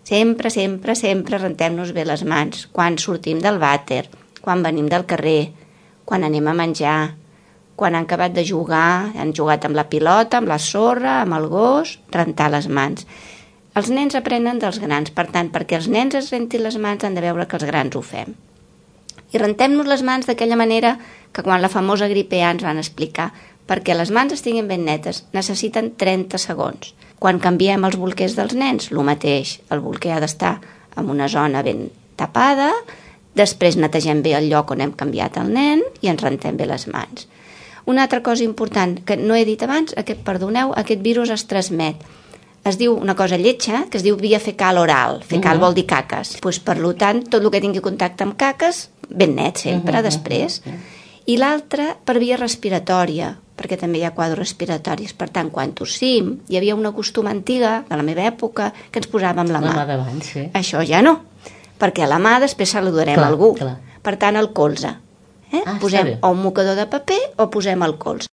Sempre, sempre, sempre rentem-nos bé les mans. Quan sortim del vàter, quan venim del carrer, quan anem a menjar, quan han acabat de jugar, han jugat amb la pilota, amb la sorra, amb el gos, rentar les mans. Els nens aprenen dels grans, per tant, perquè els nens es rentin les mans han de veure que els grans ho fem. I rentem-nos les mans d'aquella manera que quan la famosa gripe A ens van explicar, perquè les mans estiguin ben netes necessiten 30 segons. Quan canviem els bolquers dels nens, el mateix, el bolquer ha d'estar en una zona ben tapada, després netegem bé el lloc on hem canviat el nen i ens rentem bé les mans. Una altra cosa important que no he dit abans, perdoneu, aquest virus es transmet. Es diu una cosa lletja, que es diu via fecal oral. Fecal vol dir caques. Pues, per tant, tot el que tingui contacte amb caques, ben net sempre, després. I l'altra per via respiratòria, perquè també hi ha quadres respiratoris. Per tant, quan tossim, hi havia una costum antiga, de la meva època, que ens posàvem la mà. La mà davant, sí. Això ja no, perquè a la mà després saludarem algú. Clar. Per tant, el colze. Posem o un mocador de paper o posem el colze.